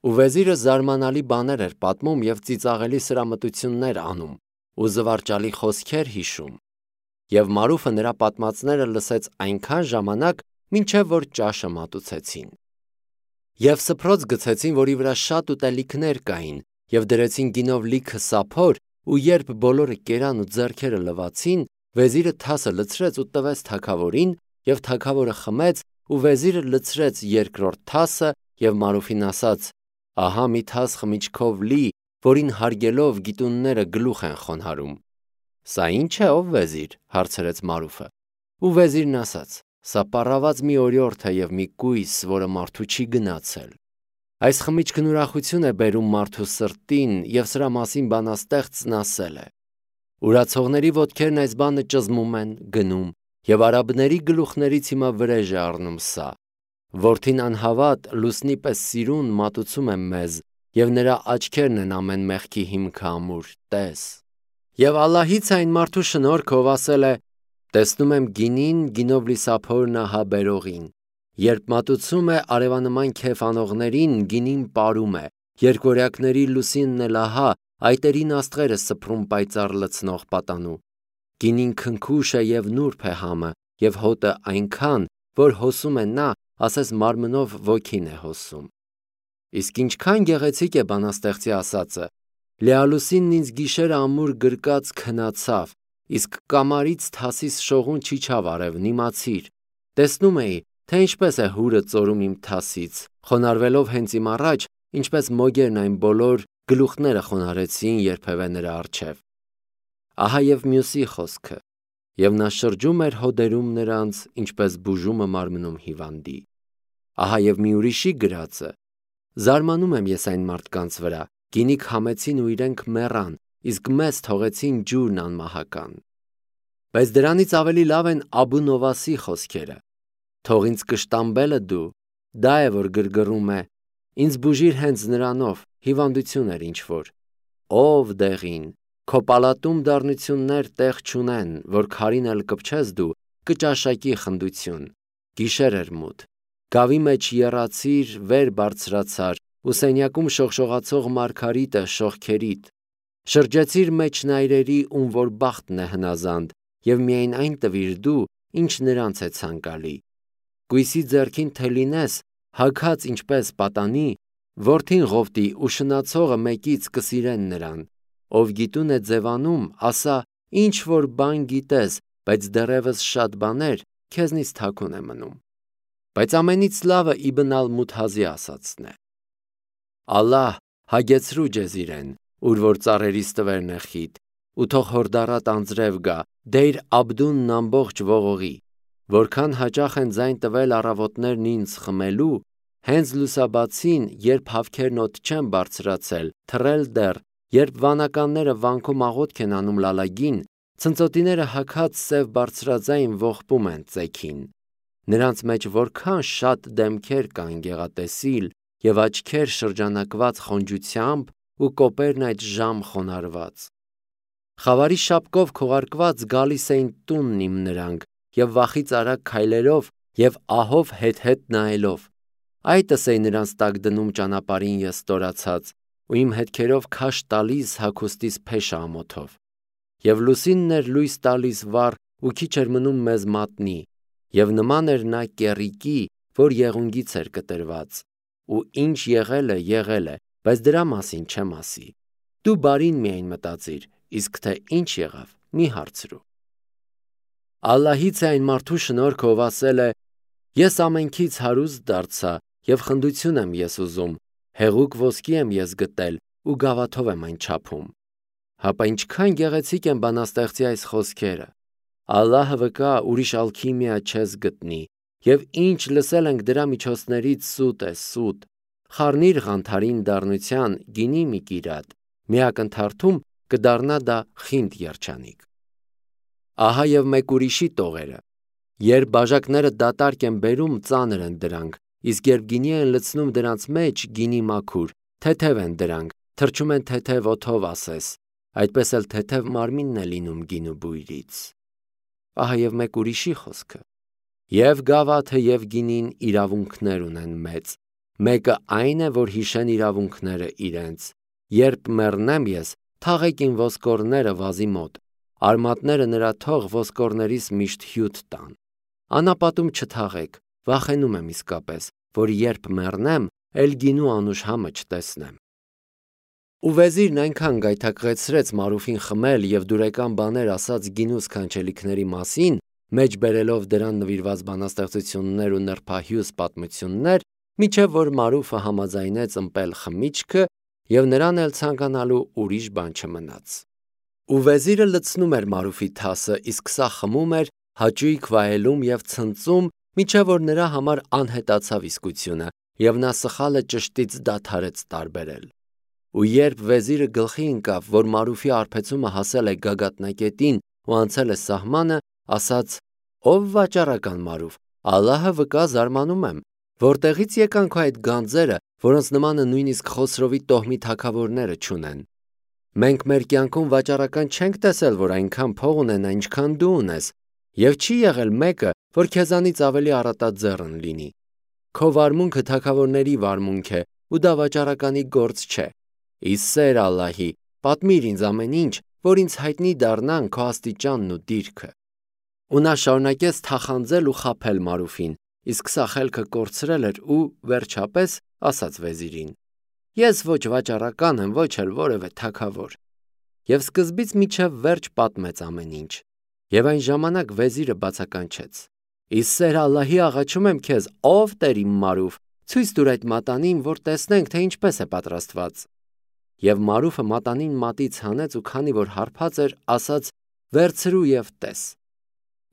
Ու վեզիրը զարմանալի բաներ էր պատմում և ծիծաղելի սրամտություններ անում ու զվարճալի խոսքեր հիշում։ Եվ Մարուֆը նրա պատմածները լսեց այնքան ժամանակ, մինչև որ ճաշը մատուցեցին։ Եվ սփռոց գցեցին, որի վրա շատ ուտելիքներ կային, և դրեցին գինով լիքը սափոր, ու երբ բոլորը կերան ու ձեռքերը լվացին, վեզիրը թասը լցրեց ու տվեց թագավորին, և թագավորը խմեց, ու վեզիրը լցրեց երկրորդ թասը և Մարուֆին ասաց. «Ահա մի թաս խմիչքով լի, որին հարգելով գիտունները գլուխ են խոնարհում»։ «Սա ի՞նչ է, ով վեզիր», հարցրեց Մարուֆը։ Ու վեզիրն ասաց. «Սա պառաված մի օրիորդ է և մի կույս, որը մարդու չի գնացել։ Այս խմիչքն ուրախություն է բերում մարդու սրտին, և սրա մասին բանաստեղծն ասել է. ուրացողների ոտքերն այս բանը ճզմում են, գնում, և արաբների գլուխներից հիմա վրեժ է առնում սա։ Որդին անհավատ լուսնի պես սիրուն մատուցում է մեզ, և նրա աչքերն են ամեն մեղքի հիմքը ամուր, տես։ Եվ Ալլահից է այն մարդու շնորհքը, ով ասել է. տեսնում եմ գինին, գինով լի սափորն ահա բերողին։ Երբ մատուցում է արևանման քեֆ անողներին, գինին պարում է, երկվորյակների լուսինն էլ ահա այտերին աստղեր է սփռում պայծառ լցնող պատանու։ Գինին քնքուշ է և նուրբ է համը, և հոտը այնքան, որ հոսում է նա, ասես մարմնով ոգին է հոսում։ Իսկ ինչքան գեղեցիկ է բանաստեղծի ասածը. լիալուսինն ինձ գիշերը ամուր գրկած քնացավ, իսկ կամարից թասիս շողուն չիջավ արևն, իմացիր։ Տեսնում էի, թե ինչպես է հուրը ծորում իմ թասից, խոնարհվելով հենց իմ առաջ, ինչպես մոգերն այն բոլոր գլուխները խոնարհեցին երբևէ նրա առջև։ Ահա և մյուսի խոսքը. և նա շրջում էր հոդերում նրանց, ինչպես բուժումը մարմնում հիվանդի։ Ահա և մի ուրիշի գրածը. զարմանում եմ ես այն մարդկանց վրա, գինի քամեցին ու իրենք մեռան, իսկ մեզ թողեցին ջուրն անմահական։ Բայց դրանից ավելի լավ են Աբու Նովասի խոսքերը. թող ինձ կշտամբելը դու, դա է որ գրգռում է, ինձ բուժիր հենց նրանով, հիվանդություն էր ինչ-որ։ Ով դեղին, քո պալատում դառնություններ տեղ չունեն, որ քարին էլ կպչես դու, կճաշակի խնդություն։ Գիշեր էր մութ, գավի մեջ եռացիր, վեր բարձրացար, ու սենյակում շողշողացող մարգարիտը շողքերիդ։ Շրջեցիր մեջնայրերի, ում որ բախտն է հնազանդ, և միայն այն տվիր դու, ինչ նրանց է ցանկալի։ Կույսի ձեռքին թե լինես, հագած ինչպես պատանի, որդին Ղովտի ու շնացողը մեկից կսիրեն նրան։ Ով գիտուն է ձևանում, ասա, ինչ որ բան գիտես, բայց դեռևս շատ բաներ քեզնից թաքուն է մնում։ Բայց ամենից լավը Իբն Ալ-Մութազի ասածն է. Ալլահ հագեցրու ջեզ իրեն, ուր որ ծառերի ստվերն է խիտ, ու թող հորդառատ անձրև գա, Դեյր Աբդունն ամբողջ ողողի, որքան հաճախ են ձայն տվել առավոտներն ինձ խմելու, հենց լուսաբացին, երբ հավքերն օդ չեն բարձրացել, թռել դեռ, երբ վանականները վանքում աղոթք են անում լալագին, ցնծոտիները հագած սև բարձրաձայն ողբում են ծեքին։ Նրանց մեջ որքան շատ դեմքեր կան գեղատեսիլ և աչքեր շրջանակված խոնջությամբ ու կոպերն այդժամ խոնարհված։ Խավարի շապկով քողարկված գալիս էին տունն իմ նրանք և վախից արագ քայլերով և ահով հետ-հետ նայելով։ Այտս էի նրանց տակ դնում ճանապարհին ես ստորացած ու իմ հետքերով քաշ տալիս հագուստիս փեշը ամոթով։ Եվ լուսինն էր լույս տալիս վառ ու քիչ էր մնում մեզ մատնի, և նման էր նա կեռիկի, որ եղունգից էր կտրված, ու ինչ եղել է, բայց դրա մասին չեմ ասի։ Դու բարին միայն մտածիր, իսկ թե ինչ եղավ, մի հարցրու։ Ալլահից է այն մարդու շնորհքը, ով ասել է. ես ամենքից հարուստ դարձա և խնդություն եմ ես ուզում, հեղուկ ոսկի եմ ես գտել ու գավաթով եմ այն չափում։ Հապա ինչքան գեղեցիկ են բանաստեղծի այս խոսքերը։ Ալլահը վկա, ուրիշ ալքիմիա չես գտնի, և ինչ լսել ենք դրա միջոցներից սուտ է, սուտ։ Խառնիր ղանթարին դառնության, գինի մի կիրատ, մի ակնթարթում կդառնա դա խինդ երջանիկ։ Ահա և մեկ ուրիշի տողերը. երբ բաժակները դատարկ են բերում, ծանր են դրանք, իսկ երբ գինի են լցնում դրանց մեջ, գինի մաքուր, թեթև են դրանք, թրջում են թեթև օդով ասես, այդպես էլ թեթև մարմինն է լինում գինու բույրից։ Ահա և մեկ ուրիշի խոսքը. և գավաթը և գինին իրավունքներ ունեն մեծ, Մեկը այն է, որ հիշեն իրավունքները իրենց։ Երբ մեռնեմ ես, թաղեք իմ ոսկորները վազի մոտ, արմատները նրա թող ոսկորներիս միշտ հյութ տան։ Անապատում չթաղեք, վախենում եմ իսկապես, որ երբ մեռնեմ, էլ գինու անուշ համը չտեսնեմ։ Ու վեզիրն այնքան գայթակղեցրեց Մարուֆին խմել և դուրեկան բաներ ասած գինու սքանչելիքների մասին, մեջ բերելով դրան նվիրված բանաստեղծություններ ու նրբահյուս պատմություններ, մինչև որ Մարուֆը համաձայնեց ըմպել խմիչքը և նրան էլ ցանկանալու ուրիշ բան չմնաց։ Ու վեզիրը լցնում էր Մարուֆի թասը, իսկ սա խմում էր, հաճույք վայելում և ցնծում, մինչև որ նրա համար անհետացավ իսկությունը, և նա սխալը ճշտից դադարեց տարբերել։ Ու երբ վեզիրը գլխի ընկավ, որ Մարուֆի արբեցումը հասել է գագաթնակետին ու անցել է սահմանը, ասաց. «Ով վաճառական Մարուֆ, Ալլահը վկա, զարմանում եմ, որտեղից եկան քո այդ գանձերը, որոնց նմանը նույնիսկ Խոսրովի տոհմի թագավորները չունեն։ Մենք մեր կյանքում վաճառական չենք տեսել, որ այնքան փող ունենա, ինչքան դու ունես, և չի եղել մեկը, որ քեզանից ավելի առատաձեռն լինի։ Քո վարմունքը թագավորների վարմունք է, ու դա վաճառականի գործ չէ։ Ի սեր Ալլահի, պատմիր ինձ ամեն ինչ, որ ինձ հայտնի դառնան քո աստիճանն ու դիրքը»։ Ու նա շարունակեց թախանձել ու խաբել Մարուֆին, իսկ սա խելքը կորցրել էր ու, վերջապես, ասաց վեզիրին. «Ես ոչ վաճառական եմ, ոչ էլ որևէ թագավոր»։ Եվ սկզբից մինչև վերջ պատմեց ամեն ինչ։ Եվ այն ժամանակ վեզիրը բացականչեց. «Ի սեր Ալլահի աղաչում եմ քեզ, ով տեր իմ Մարուֆ, ցույց տուր այդ մատանին, որ տեսնենք, թե ինչպես է պատրաստված»։ Եվ Մարուֆը մատանին մատից հանեց ու քանի որ հարբած էր, ասաց. «Վերցրու և տես»։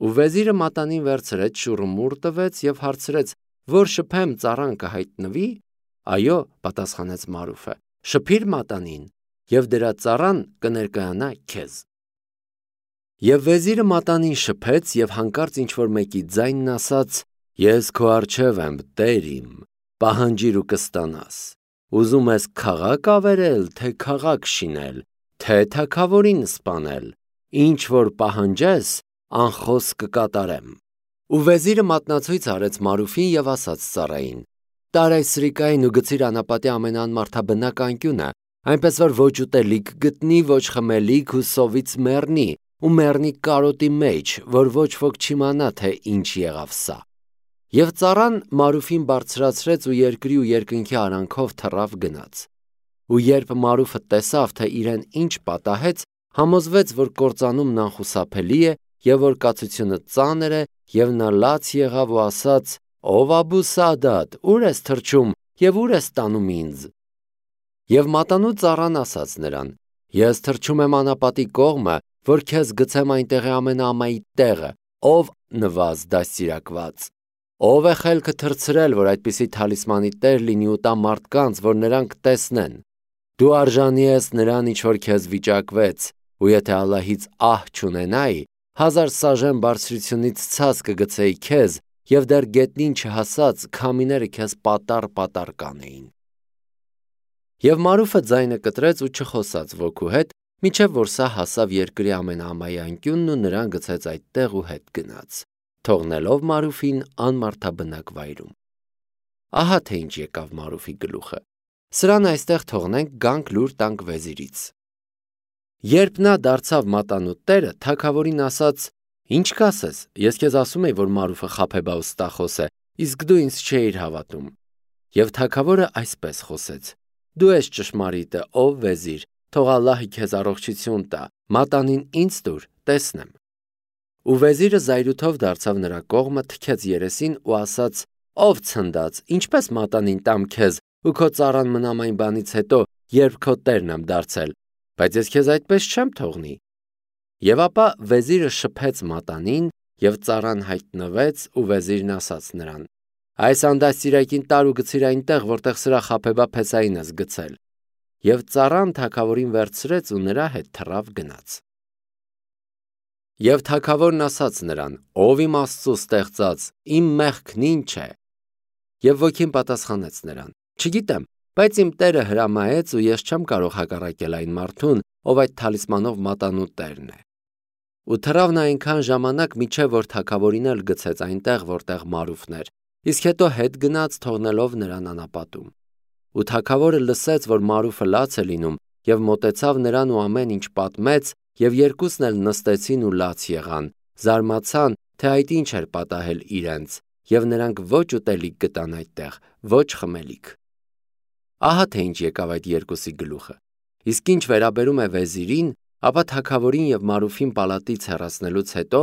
Ու վեզիրը մատանին վերցրեց, շուռումուռ տվեց և հարցրեց. «Որ շփեմ, ծառան կհայտնվի»։ «Այո», պատասխանեց Մարուֆը, «շփիր մատանին, և դրա ծառան կներկայանա քեզ»։ Եվ վեզիրը մատանին շփեց և հանկարծ ինչ-որ մեկի ձայնն ասաց. «Ես քո առջև եմ, տեր իմ, պահանջիր ու կստանաս։ Ուզում ես քաղաք ավերել, թե քաղաք շինել, թե թագավորին սպանել, ինչ որ պահանջես, անխոս կկատարեմ»։ Ու վեզիրը մատնացույց արեց Մարուֆին և ասաց ծառային. «Տար այս սրիկային ու գցիր անապատի ամենաանմարդաբնակ անկյունը, այնպես որ ոչ ուտելիք գտնի, ոչ խմելիք ու սովից մեռնի, ու մեռնի կարոտի մեջ, որ ոչ ոք չիմանա, թե ինչ եղավ սա»։ Եվ ծառան Մարուֆին բարձրացրեց ու երկրի ու երկնքի արանքով թռավ գնաց։ Ու երբ Մարուֆը տեսավ, թե իրեն ինչ պատահեց, համոզվեց, որ կործանումն անխուսափելի է և որ կացությունը ծանր է, և նա լաց եղավ ու ասաց. «Ով Աբու Սաադատ, ուր ես թռչում և ուր ես տանում ինձ»։ Եվ մատանու ծառան ասաց նրան. «Ես թռչում եմ անապատի կողմը, որ քեզ գցեմ այնտեղի ամենաամայիտ տեղը, ով նվազ դաստիարակված։ Ով է խելքը թռցրել, որ այդպիսի թալիսմանի տեր լինի ու տա մարդկանց, որ նրանք տեսնեն։ Դու արժանի ես նրան, ինչ որ քեզ վիճակվեց, ու եթե Ալլահից ահ չունենայի, 1000 սաժեն բարձրությունից ցած կգցեի քեզ, և դեռ գետնին չհասած քամիները քեզ պատառ-պատառ կանեին»։ Եվ Մարուֆը ձայնը կտրեց ու չխոսաց ոգու հետ, մինչև որ սա հասավ երկրի ամենաամայի անկյունն ու նրան գցեց այդտեղ ու հետ գնաց, թողնելով Մարուֆին անմարդաբնակ վայրում։ Ահա թե ինչ եկավ Մարուֆի գլուխը։ Սրան այստեղ թողնենք, գանք լուր տանք վեզիրից։ Երբ նա դարձավ մատանու տերը, թագավորին ասաց. «Ինչ կասես, ես քեզ ասում էի, որ Մարուֆը խաբեբա ու ստախոս է, իսկ դու ինձ չէիր հավատում»։ Եվ թագավորը այսպես խոսեց. «Դու ես ճշմարիտը, ով վեզիր, թող Ալլահը քեզ առողջություն տա, մատանին ինձ տուր, տեսնեմ»։ Ու վեզիրը զայրույթով դարձավ նրա կողմը, թքեց երեսին ու ասաց. «Ով ցնդած, ինչպես մատանին տամ քեզ ու քո ծառան մնամ այն բանից հետո, երբ քո տերն եմ դարձել, բայց ես քեզ այդպես չեմ թողնի»։ Եվ ապա վեզիրը շփեց մատանին, և ծառան հայտնվեց, ու վեզիրն ասաց նրան. «Այս անդաստիարակին տար ու գցիր այնտեղ, որտեղ սրա խաբեբա փեսային ես գցել»։ Եվ ծառան թագավորին վերցրեց ու նրա հետ թռավ գնաց։ Եվ թագավորն ասաց նրան. «Ով իմ Աստծու ստեղծած, իմ մեղքն ինչ է»։ Եվ ոգին պատասխանեց նրան. «Չգիտեմ, բայց իմ տերը հրամայեց ու ես չեմ կարող հակառակել այն մարդուն, ով այդ թալիսմանով մատանու տերն է»։ Ու թռավ նա այնքան ժամանակ, մինչև որ թագավորին էլ գցեց այնտեղ, որտեղ Մարուֆն էր, իսկ հետո հետ գնաց թողնելով նրան անապատում։ Ու թագավորը լսեց, որ Մարուֆը լաց է լինում, եւ մոտեցավ նրան ու ամեն ինչ պատմեց, եւ երկուսն էլ նստեցին ու լաց եղան, զարմացան, թե այդ ինչ էր պատահել իրենց, եւ նրանք ոչ ուտելիք գտան այդտեղ, ոչ խմելիք։ Ահա թե ինչ եկավ այդ երկուսի գլուխը։ Իսկ ինչ վերաբերում է վեզիրին, ապա թագավորին եւ Մարուֆին պալատից հեռացնելուց հետո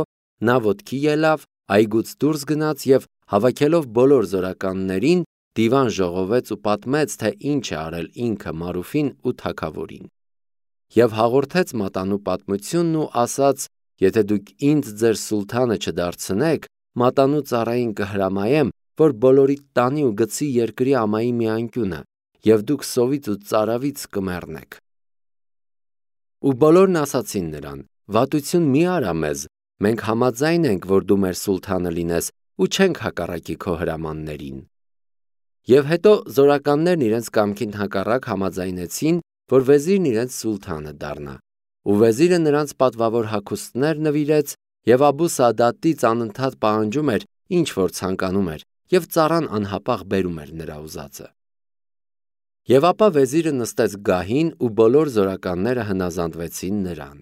նա ոտքի ելավ, այգուց դուրս գնաց եւ հավաքելով բոլոր զորականներին դիվան ժողովեց ու պատմեց, թե ինչ է արել ինքը Մարուֆին ու թագավորին։ Եվ հաղորդեց մատանու պատմությունն ու ասաց. եթե դուք ինձ ձեր սուլթանը չդարձնեք, մատանու ծառային կհրամայեմ, որ բոլորիդ տանի ու գցի երկրի ամայի մի անկյունը, եւ դուք սովից ու ծարավից կմեռնեք։ Ու բոլորն ասացին նրան. վատություն մի արա մեզ, մենք համաձայն ենք, որ դու մեր սուլթանը լինես ու չենք հակառակի քո հրամաններին։ Եվ հետո զորականներն իրենց կամքին հակառակ համաձայնեցին, որ վեզիրն իրենց սուլթանը դառնա։ Ու վեզիրը նրանց պատվավոր հագուստներ նվիրեց, եւ Աբու Սադատից անընդհատ պահանջում էր, ինչ որ ցանկանում էր, եւ ծառան անհապաղ բերում էր նրա ուզածը։ Եվ ապա վեզիրը նստեց գահին ու բոլոր զորականները հնազանդվեցին նրան։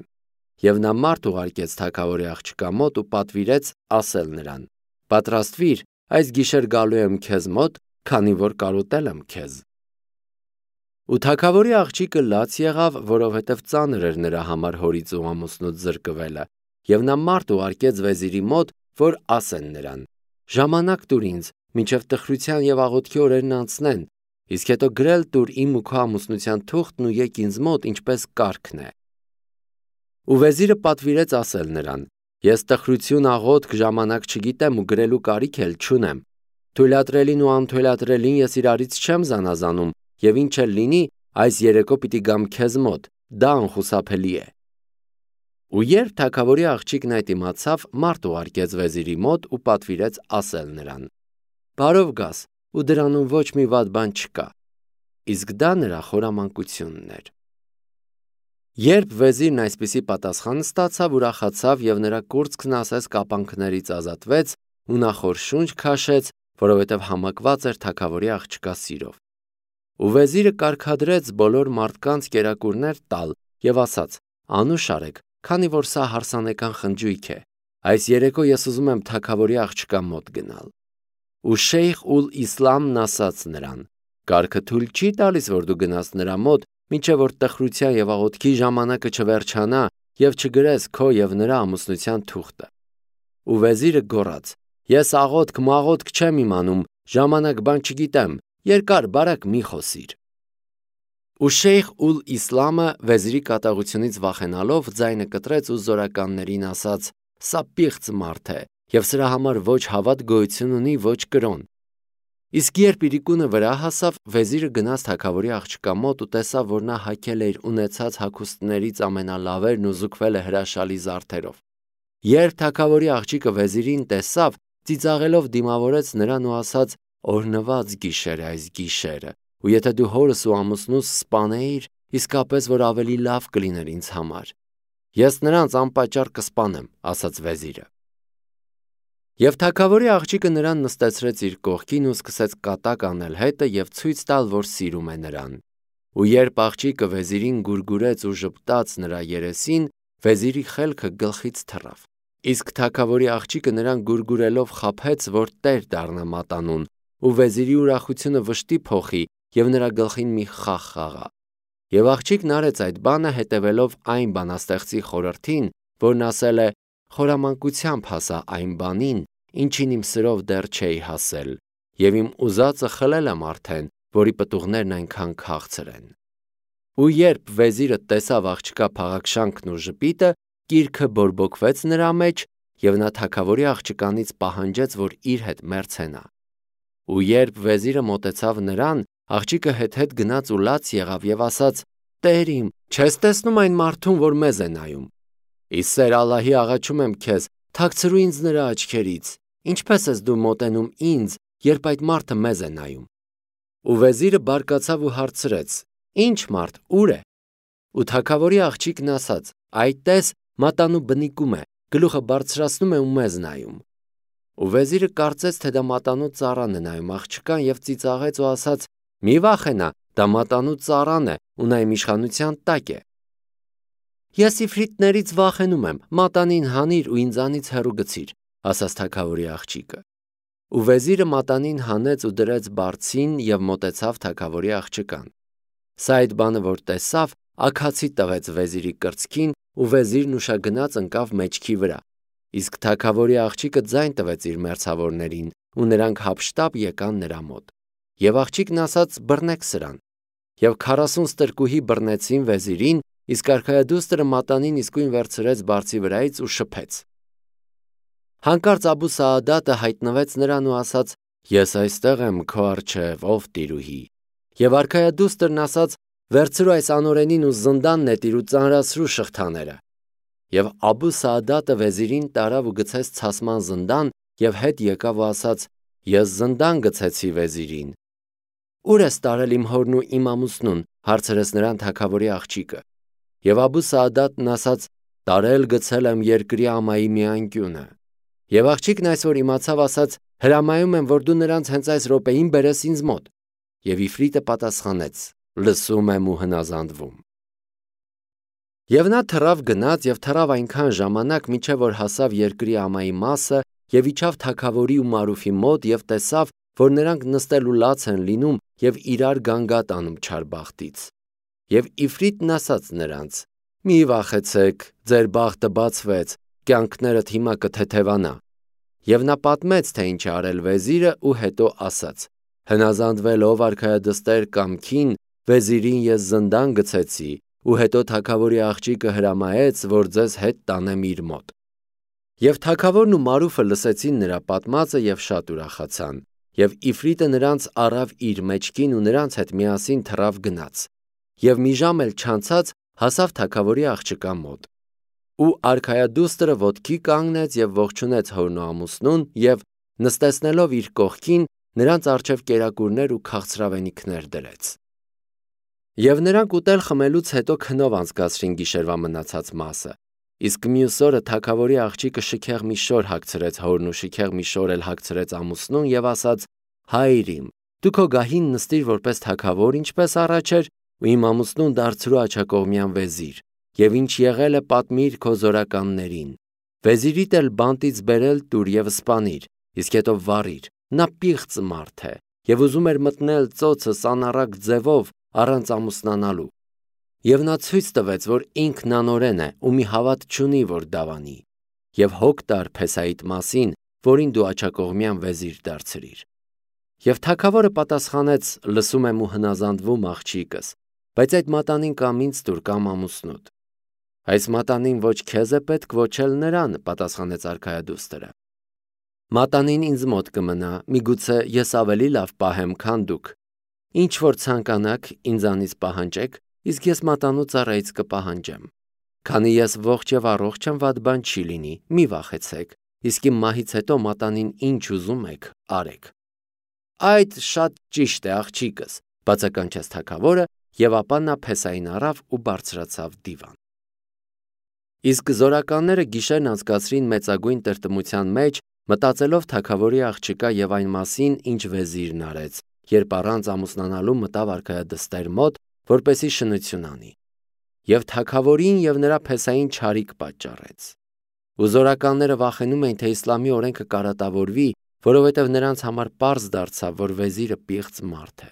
Եվ նա մարդ ուղարկեց թագավորի աղջկա մոտ ու պատվիրեց ասել նրան. պատրաստվիր, այս գիշեր գալու եմ քեզ մոտ, քանի որ կարոտել եմ քեզ։ Ու թագավորի աղջիկը լաց եղավ, որովհետև ծանր էր նրա համար հորից ու ամուսնուց զրկվելը, եւ նա մարդ ուղարկեց վեզիրի մոտ, որ ասեն նրան. ժամանակ տուր ինձ, մինչև տխրության եւ աղոթքի օրերն անցնեն, իսկ հետո գրել տուր իմ ու քո ամուսնության թուղթն ու եկ ինձ մոտ, ինչպես կարգն է։ Ու վեզիրը պատվիրեց ասել նրան. ես տխրություն աղոթք ժամանակ չգիտեմ ու գրելու կարիք էլ չունեմ։ Թույլատրելին ու անթույլատրելին ես իրարից չեմ զանազանում, եւ ինչ էլ լինի, այս երեկո պիտի գամ քեզ մոտ, դա անխուսափելի է։ Ու երբ թագավորի աղջիկն այդ իմացավ, մարդ ուղարկեց վեզիրի մոտ ու պատվիրեց ասել նրան. բարով գաս, ու դրանում ոչ մի վատ բան չկա։ Իսկ դա նրա խորամանկությունն էր։ Երբ վեզիրն այսպիսի պատասխան ստացավ, ուրախացավ եւ նրա կուրծքն ասես կապանքներից ազատվեց ու նա խոր շունչ քաշեց, որովհետև համակված էր թագավորի աղջկա սիրով։ Ու վեզիրը կարգադրեց բոլոր մարդկանց կերակուրներ տալ եւ ասաց. անուշ արեք, քանի որ սա հարսանեկան խնջույք է։ Այս երեկո ես ուզում եմ թագավորի աղջկա մոտ գնալ։ Ու Շեյխ Ուլ Իսլամն ասաց նրան. կարգը թույլ չի տալիս, որ դու գնաս նրա մոտ, մինչև որ տխրության եւ աղոթքի ժամանակը չվերջանա եւ չգրես քո եւ նրա ամուսնության թուղթը։ Ու վեզիրը գոռաց. ես աղոթք մաղոթք չեմ իմանում, ժամանակ բան չգիտեմ, երկար բարակ մի խոսիր։ Ու Շեյխ Ուլ Իսլամը վեզիրի կատաղությունից վախենալով ձայնը կտրեց ու զորականներին ասաց. սա պիղծ մարդ է եւ սրա համար ոչ հավատ գոյություն ունի, ոչ կրոն։ Իսկ երբ իրիկունը վրա հասավ, վեզիրը գնաց թագավորի աղջկա մոտ ու տեսավ, որ նա հագել է իր ունեցած հագուստներից ամենալավերն ու զուգվել է հրաշալի զարդերով։ Երբ թագավորի աղջիկը վեզիրին տեսավ, ծիծաղելով դիմավորեց նրան ու ասաց. օրհնված գիշեր է այս գիշերը, ու եթե դու հորս ու ամուսնուս սպանեիր, իսկապես որ ավելի լավ կլիներ ինձ համար։ Ես նրանց անպատճառ կսպանեմ, ասաց վեզիրը։ Եվ թագավորի աղջիկը նրան նստեցրեց իր կողքին ու սկսեց կատակ անել հետը եւ ցույց տալ, որ սիրում է նրան։ Ու երբ աղջիկը վեզիրին գուրգուրեց ու ժպտաց նրա երեսին, վեզիրի խելքը գլխից թռավ։ Իսկ թագավորի աղջիկը նրան գուրգուրելով խաբեց, որ տեր դառնա մատանուն, ու վեզիրի ուրախությունը վշտի փոխի եւ նրա գլխին մի խաղ խաղա։ Եվ աղջիկն արեց այդ բանը հետևելով այն բանաստեղծի խորհրդին, որն ասել է. խորամանկությամբ հասա այն բանին, ինչին իմ սրով դեռ չէի հասել, եւ իմ ուզածը խլել եմ արդեն, որի պտուղներն այնքան քաղցր են։ Ու երբ վեզիրը տեսավ աղջկա փաղաքշանքն ու ժպիտը, կիրքը բորբոքվեց նրա մեջ, եւ նա թագավորի աղջկանից պահանջեց, որ իր հետ մերձենա։ Ու երբ վեզիրը մոտեցավ նրան, աղջիկը հետ գնաց ու լաց եղավ եւ ասաց. Տեր իմ, չես տեսնում այն մարդուն, որ մեզ է նայում։ Իս սեր Ալլահի աղաչում եմ քեզ, թաքցրու ինձ նրա աչքերից։ Ինչպես ես դու մոտենում ինձ, երբ այդ մարդը մեզ է նայում։ Ու վեզիրը բարկացավ ու հարցրեց. Ինչ մարդ, ուր է։ Ու թագավորի աղջիկն ասաց. Այ տես, մատանու բնիկում է, գլուխը բարձրացնում է ու մեզ նայում։ ու վեզիրը կարծեց, թե դա մատանու ծառան է նայում աղջկան և ծիծաղեց ու ասաց. «Մի վախենա, դա մատանու ծառան է ու նա իմ իշխանության տակ է»։ «Ես իֆրիտներից վախենում եմ, մատանին հանիր ու ինձանից հեռու գցիր», ասաց թագավորի աղջիկը։ Ու վեզիրը մատանին հանեց ու դրեց բարձին և մոտեցավ թագավորի աղջկան։ Սա այդ բանը, որ տեսավ, աքացի տվեց վեզիրի կրծքին, ու վեզիրն ուշագնաց ընկավ մեջքի վրա։ Իսկ թագավորի աղջիկը ձայն տվեց իր մերձավորներին, ու նրանք հափշտապ եկան նրա մոտ։ Եվ աղջիկն ասաց. «Բռնեք սրան»։ Եվ 40 ստրկուհի բռնեցին վեզիրին, իսկ արքայադուստրը մատանին իսկույն վերցրեց բարձի վրայից ու շփեց։ Հանկարծ Աբու Սաադատը հայտնվեց նրան ու ասաց. «Ես այստեղ եմ քո առջև, ով տիրուհի»։ Եվ արքայադուստրն ասաց. «Վերցրու այս անօրենին ու զնդան նետիր ու ծանրացրու շղթաները»։ Եվ Աբու Սաադատը վեզիրին տարավ ու գցեց ցասման զնդան և հետ եկավ ու ասաց. «Ես զնդան գցեցի վեզիրին»։ «Ուր ես տարել իմ հորն ու իմ ամուսնուն»։ Հարցրեց նրան թագավորի աղջիկը։ Եվ Աբու Սաադատն ասաց. «Տարել գցել եմ երկրի ամայի մի անկյունը»։ Եվ աղջիկն այս որ իմացավ, ասաց. «Հրամայում եմ, որ դու նրանց հենց այս րոպեին բերես ինձ մոտ»։ Եվ իֆրիտը պատասխանեց. «Լսում եմ ու հնազանդվում»։ Եվ նա թռավ գնաց և թռավ այնքան ժամանակ, մինչև որ հասավ երկրի ամայի մասը և իջավ թագավորի ու Մարուֆի մոտ և տեսավ, որ նրանք նստել ու լաց են լինում և իրար գանգատ անում չարբախտից։ Եվ իֆրիտն ասաց նրանց. «Մի վախեցեք, ձեր բախտը բացվեց, կյանքներդ հիմա կթեթևանա»։ Եվ նա պատմեց, թե ինչ է արել վեզիրը ու հետո ասաց. «Հնազանդվելով արքայադստեր կամքին, վեզիրին ես զնդան գցեցի ու հետո թագավորի աղջիկը հրամայեց, որ ձեզ հետ տանեմ իր մոտ»։ Եվ թագավորն ու Մարուֆը լսեցին նրա պատմածը և շատ ուրախացան։ Եվ իֆրիտը նրանց առավ իր մեջքին ու նրանց հետ միասին թռավ գնաց։ Եվ մի ժամ էլ չանցած հասավ թագավորի աղջկա մոտ։ Ու արքայադուստրը ոտքի կանգնեց և ողջունեց հորն ու ամուսնուն և, նստեցնելով իր կողքին, նրանց առջև կերակուրներ ու քաղցրավենիքներ դրեց։ Եվ նրանք ուտել խմելուց հետո քնով անցկացրին գիշերվա մնացած մասը։ Իսկ մյուս օրը թագավորի աղջիկը շքեղ մի շոր հագցրեց հորն ու շքեղ մի շոր էլ հագցրեց ամուսնուն և ասաց. «Հայր իմ, դու քո գահին նստիր որպես թագավոր, ինչպես առաջ էր, ու իմ ամուսնուն դարձրու աջակողմյան վեզիր, և ինչ եղել է պատմիր քո զորականներին։ Վեզիրիդ էլ բանտից բերել տուր և սպանիր, իսկ հետո վառիր, նա պիղծ մարդ է և ուզում էր մտնել ծոցս անառակ ձևով առանց ամուսնանալու։ Եվ նա ցույց տվեց, որ ինքն անօրեն է ու մի հավատ չունի, որ դավանի։ Եվ հոգ տար Փեսահիդ մասին, որին դու աջակողմյան վեզիր դարձրիր»։ Եվ թագավորը պատասխանեց. «Լսում եմ ու հնազանդվում, աղջիկս, բայց այդ մատանին կամ ինձ տուր կամ ամուսնուդ»։ «Այս մատանին ոչ քեզ է պետք, ոչ էլ նրան», պատասխանեց արքայադուստրը։ «Մատանին ինձ մոտ կմնա, միգուցե ես ավելի լավ պահեմ, քան դուք։ Ինչ որ ցանկանաք, ինձանից պահանջեք, իսկ ես մատանու ծառայից կպահանջեմ։ Քանի ես ողջ և առողջ եմ, վատ բան չի լինի, մի վախեցեք, իսկ իմ մահից հետո մատանին ինչ ուզում եք, արեք»։ «Այդ շատ ճիշտ է, աղջիկս», բացականչեց թագավորը, և ապա նա Փեսահին առավ ու բարձրացավ դիվան։ Իսկ զորականները գիշերն անցկացրին մեծագույն տրտմության մեջ, մտածելով թագավորի աղջկա և այն մասին, ինչ վեզիրն արեց, երբ առանց ամուսնանալու մտավ արքայադստեր մոտ, որպեսզի շնություն անի։ Եվ թագավորին և նրա Փեսահին չարիք պատճառեց։ Ու զորականները վախենում էին, թե իսլամի օրենքը կարատավորվի, որովհետև նրանց համար պարզ դարձավ, որ վեզիրը պիղծ մարդ է։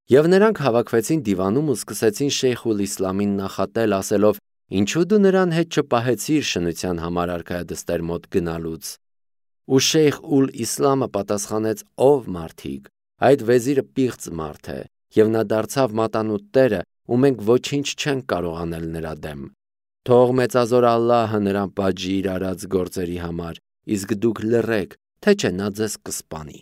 Եվ նրանք հավաքվեցին դիվանում ու սկսեցին Շեյխ ուլ-Իսլամին նախատել, ասելով. «Ինչու դու նրան հետ չպահեցիր շնության համար արքայադստեր մոտ գնալուց»։ Ու Շեյխ ուլ-Իսլամը պատասխանեց. «Ով մարդիկ, այդ վեզիրը պիղծ մարդ է, և նա դարձավ մատանու տերը, ու մենք ոչինչ չենք կարող անել նրա դեմ։ Թող մեծազոր Ալլահը նրան պատժի իր արած գործերի համար, իսկ դուք լռեք, թե չէ նա ձեզ կսպանի»։